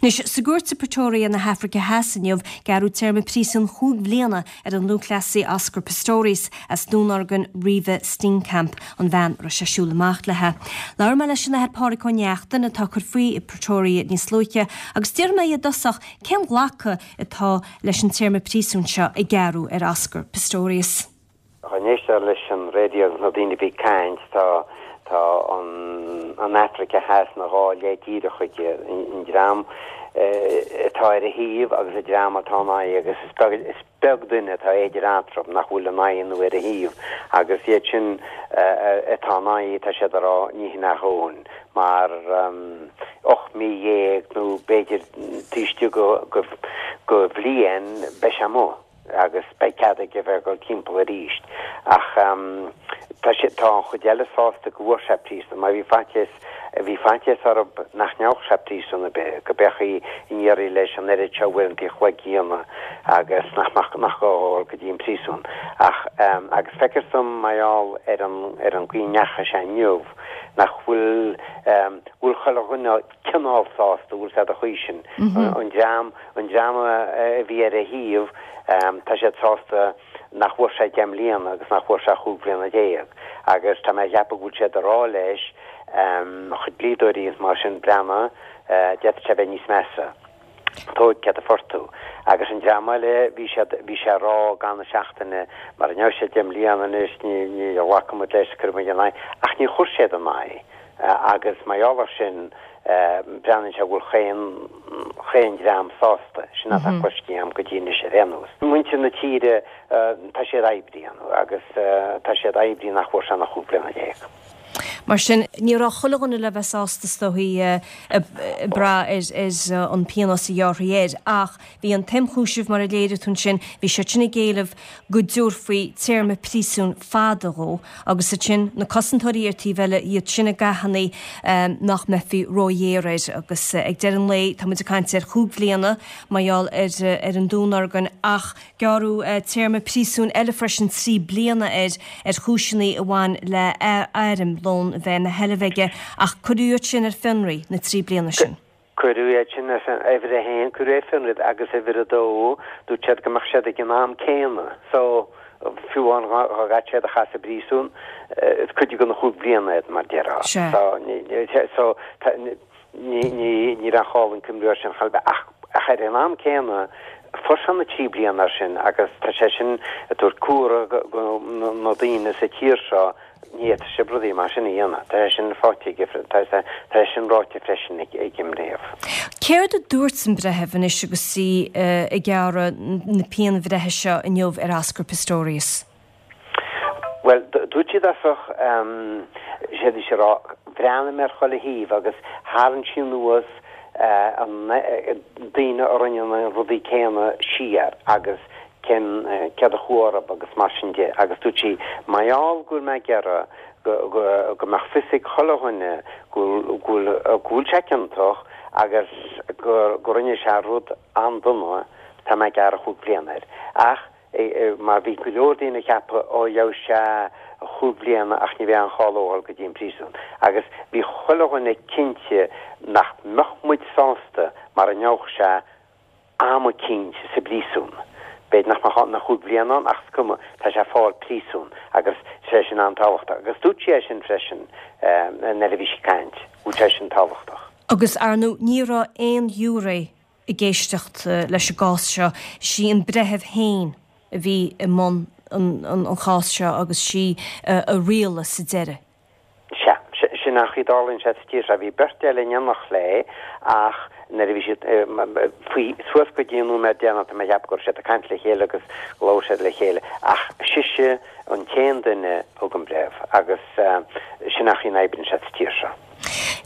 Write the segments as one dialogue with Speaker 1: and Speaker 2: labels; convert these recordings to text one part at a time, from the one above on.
Speaker 1: Anois, sa gcúirt i Pretoria na hAfraice Theas inniu, gearradh téarma príosúin chúig bhliana ar an lúthchleasaí Oscar Pistorius as dúnorgain Reeva Steenkamp, an bhean a raibh sé ag siúl amach léi. Labhair mé leis an Athair Pádraig Ó Neachtain, atá ag cur faoi i Pretoria níos luaithe, agus d'fhiafraigh mé dhe i dtosach cén glacadh atá leis an téarma príosúin seo a gearradh ar Oscar Pistorius.
Speaker 2: Dá n-éistfeá leis an raidió agus na daoine a bhí ag caint, tá, tá an, an Afraic Theas ina dhá leith díreach aige, an dream atá ar a thaobh agus an dream atá ina aghaidh agus is beag, is beag duine atá idir eatarthu nach bhfuil ina aghaidh nó ar a thaobh agus iad sin atá ina aghaidh tá siad ag rá ní hin a dhóthain mar 18 mí nó b'fhéidir taobh istigh de, de bhliain beidh sé amuigh. agus beidh cead aige bheith ag dul timpeall arís. Ach tá sé, tá an chuid eile sásta go bhfuair sé príosún, mar bhí faitíos, bhí faitíos orthu nach ngeobhadh sé príosún ar bith, go mbeifí in iarraidh leis an oiread seo uaireanta an chloig a dhéanamh agus nach mbeadh, nach gá a dhul go dtí an príosún. Ach, agus feictear dom mar gheall ar an, ar an gcaoi a ndeachaigh sé inniu, nach bhfuil, bhfuil chuile dhuine, cineál sásta, bhfuil sé de chaoi sin. An dream, an dream a bhí ar a thaobh, tá siad sásta nach bhfuair sé 10 mbliana agus nach bhfuair sé chúig bhliana déag. Agus tá mé a cheapadh go bhfuil siad ag rá leis, a chuid dlíodóirí agus mar sin, breathnaigh, d'fhéadfadh sé bheith níos measa. Tóig céard a fuair tú. Agus an dream eile, bhí siad, bhí sé ag rá i gcaitheamh na seachtaine, mara ngeobhaidh sé 10 mbliana anois, ní, ní ghlacfaidh muid leis, cuirfidh muid ina aghaidh. Ach ní chuir siad ina aghaidh. Agus mar gheall air sin, breathnaíonn sé go bhfuil chaon, chaon dream sásta. Sin atá cloiste agam go dtí anois ar aon nós. Muintir na tíre, tá siad oibrithe agus tá siad oibrithe nach bhfuair sé ach 15 bliana.
Speaker 1: Mar sin, ní raibh chuile dhuine le bheith sásta is dóichí ag brath ar an bpionós a ghearrfaí air ach bhí an t-ionchúiseamh, mar a léirigh tú ansin, bhí siad sin ag éileamh go dtabharfaí téarma príosúin fada dhó agus ansin na cosantóirí ar taobh eile, iad sin ag achainí nach mbeifí róghéar air agus ag deireadh an lae tá muid ag caint ar chúig bhliana mar gheall ar an dúnorgain ach gearradh téarma príosúin eile freisin 3 bliana air ar chúiseanna a bhain le airm lón a bheith ina sheilbh aige ach cuireadh iad sin ar fionraí na 3 bliana sin.
Speaker 2: Cuireadh iad sin ar fionraí, uimhir a haon, cuireadh ar fionraí agus uimhir a dó, dúirt siad go mbeadh siad ag an am céanna. So, fiú amháin dhá gcaithfeadh siad a chaitheamh sa bpríosún, is cuid de na chúig bliana iad, mar déarfá. So, so, ní, ní, ní raibh aon chall an cuimriú air sin chor ar bith. Ach, ach ar an am céanna, fuair sé na trí bliana air sin agus tá sé sin ag tabhairt comhartha go na daoine sa tír seo Ní fhéadfaidh sibh rudaí mar sin a dhéanamh. Tá sé sin faighte aige, tá sé sin ráite freisin ag an mbreitheamh.
Speaker 1: Céard a dúirt an breitheamh anois agus í ag gearradh na pianbhreithe seo inniu ar Oscar Pistorius?
Speaker 2: Bhuel, dúirt sí i dtosach, sé bhí sí ag rá, bhreathnaigh mé ar chuile thaobh agus tharraing sí anuas an daoine a rinne na rudaí céanna siar agus cén, céard a chuaigh orthu agus mar sin de agus dúirt sí, mar gheall go bhfuil mé ag iarraidh go, go, go mbeadh fios ag chuile dhuine go bhfuil, go bhfuil, go bhfuil sé ciontach agus go, go rinne sé rud an-dona, tá mé ag gearradh chúig bliana air. Ach mar bhí go leor daoine ag ceapadh, ó gheobhaidh sé chúig bliana ach ní bheidh aon chall dó dhul go dtí an príosún. Agus bhí chuile dhuine cinnte nach mbeadh muid sásta mara ngeobhadh sé am eicínt sa bpríosún. B'fhéidir nach mbeadh na chúig bhliana ann ach is cuma, tá sé ag fáil príosún agus sé sin an-tábhachtach. Agus dúirt sí é sin freisin nuair a bhí sí ag caint, go bhfuil sé sin tábhachtach.
Speaker 1: Agus ar ndóigh ní raibh aon ghiúiré ag éisteacht leis an gcás seo, sí an breitheamh féin a bhí i mbun an chás seo agus sí a rialaigh sa deireadh.
Speaker 2: Sea, sin an chaoi a dtarlaíonn sé sa tír seo. Bhí beirt eile in éineacht léi ach nuair a bhí siad faoi, suas go dtí an nóiméad deireanach, tá mé ag ceapadh go raibh siad ag caint le chéile agus labhair siad le chéile ach sise an t-aon duine a thug an breith agus sin an chaoi a n-oibríonn sé sa tír seo.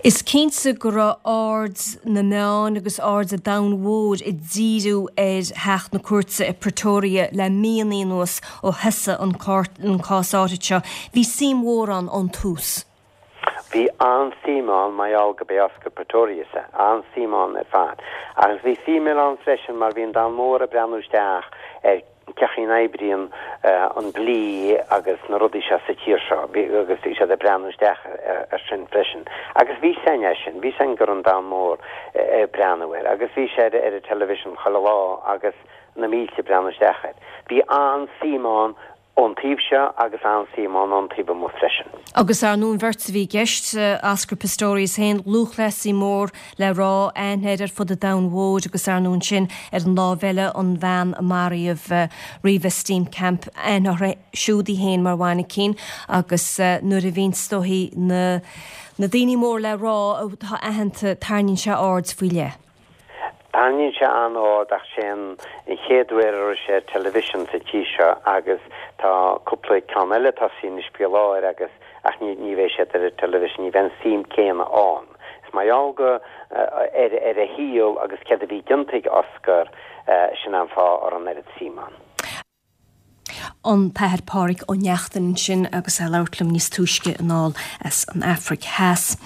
Speaker 1: Is cinnte go raibh aird na meán agus aird an domhain mhóir ag díriú ar theach na cúirte i Pretoria le míonna anuas ó thosaigh an cás áirithe seo. Bhí suim mhór ann ón tús.
Speaker 2: Bhí an-suim ann mar gheall gurb é Oscar Pistorius é. An-suim ann ar fad. Agus bhí suim eile ann freisin mar bhí an domhan mór ag breathnú isteach ar. cén chaoi a n-oibríonn an dlí agus na rudaí seo sa tír seo agus bhí siad ag breathnú isteach ar sin freisin. Agus bhí a fhios againn é sin, bhí a fhios againn go raibh an domhan mór ag breathnú air agus bhí sé ar an television chuile lá agus na mílte ag breathnú isteach air. Bhí an-suim ann ón taobh seo agus an-suim ann ón taobh amuigh freisin.
Speaker 1: Agus ar ndóigh an bheirt a bhí i gceist, Oscar Pistorius féin, lúthchleasaí mór le rá, aithne air ar fud an domhain mhóir agus ar ndóigh ansin ar an lámh eile an bhean a maraíodh Reeva Steenkamp, aithne uirthi siúd í féin mar mhainicín agus nuair a bhíonn is dóichí na na daoine mór le rá atá aitheanta tarraingíonn sé aird faoi leith.
Speaker 2: Tarraingíonn sé an-aird ach sé an chéad uair a raibh sé ar television sa tír seo agus tá cúpla ceann eile tosaithe anois faoi láthair agus ach ní ní bheidh siad ar an television, ní bheidh an suim céanna ann. Is mar gheall go ar ar a shaol agus céard a bhí déanta ag Oscar sin an fáth a raibh an oiread suim ann.
Speaker 1: An tAthair Pádraig Ó Neachtain ansin agus é ag labhairt liom níos túisce anall as an Afraic Theas.